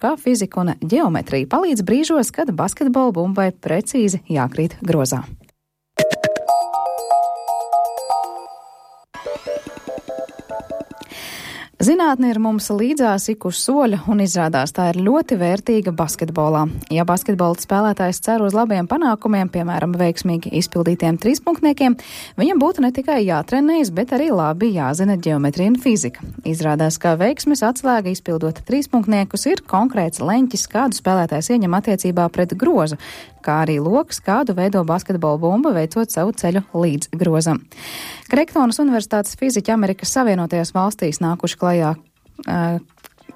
kā fizika un ģeometrija palīdz brīžos, kad basketbola bumbai precīzi jākrīt grozā. Zinātne ir mums līdzās ik uz soļa un izrādās tā ir ļoti vērtīga basketbolā. Ja basketbola spēlētājs cer uz labiem panākumiem, piemēram, veiksmīgi izpildītiem trīspunktniekiem, viņam būtu ne tikai jātrenējas, bet arī labi jāzina ģeometrija un fizika. Izrādās, ka veiksmes atslēga izpildot trīspunktniekus ir konkrēts leņķis, kādu spēlētājs ieņem attiecībā pret grozu, kā arī loks, kādu veido basketbola bumba, veicot savu ceļu līdz grozam. Kreiktonas Universitātes fiziķi Amerikas Savienotajās valstīs nākuši klajā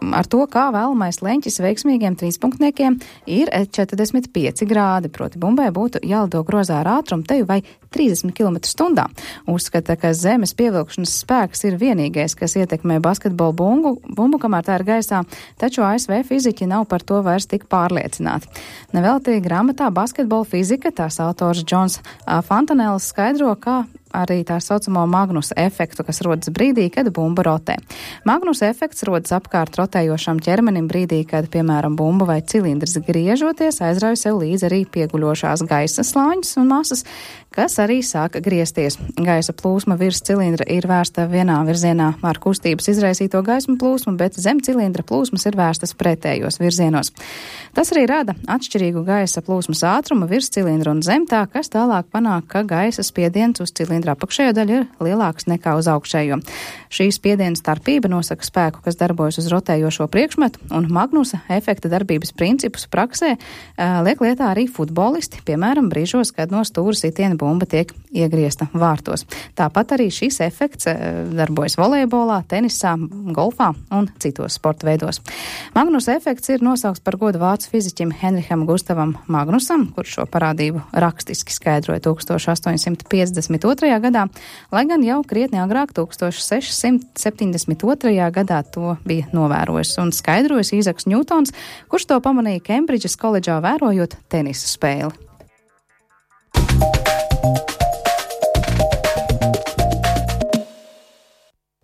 ar to, kā vēlamais leņķis veiksmīgiem trīspunktniekiem ir 45 grādi, proti bumbai būtu jālido grozā ar ātrumu teju vai 30 km/h. Uzskata, ka zemes pievilkšanas spēks ir vienīgais, kas ietekmē basketbola bumbu, kamēr tā ir gaisā, taču ASV fiziķi nav par to vairs tik pārliecināti. Nevelti grāmatā Basketbola fizika tās autors Džons Fontanells skaidro, kā arī tā saucamo Magnusa efektu, kas rodas brīdī, kad bumba rotē. Magnusa efekts rodas apkārt rotējošam ķermenim brīdī, kad, piemēram, bumba vai cilindrs griežoties, aizrauj sev līdz arī pieguļošās gaisa slāņus un masas, kas arī sāk griezties. Gaisa plūsma virs cilindra ir vērsta vienā virzienā ar kustības izraisīto gaismu plūsmu, bet zem cilindra plūsmas ir vērstas pretējos virzienos. Tas arī rada atšķirīgu gaisa plūsmas ātrumu virs cilindra un zem tā, kas tālāk panāk, ka gaisa spiediens uz cilindra apakšējo daļu ir lielāks nekā uz augšējo. Šī spiediena starpība nosaka spēku, kas darbojas uz rotējošo priekšmetu, un Magnusa efekta darbības principus praksē liek lietā arī futbolisti, piemēram, brīžos, kad no stūra sitiena bumba tiek iegriezta vārtos. Tāpat arī šis efekts darbojas volejbolā, tenisā, golfā un citos sporta veidos. Magnusa efekts ir nosaukts par godu vācu fiziķim Henriham Gustavam Magnusam, kurš šo parādību rakstiski skaidroja 1852. gadā, lai gan jau krietni agrāk 1672. gadā to bija novērojis un skaidrojis Īzaks Ņūtons, kurš to pamanīja Kembridžas koledžā vērojot tenisa spēli.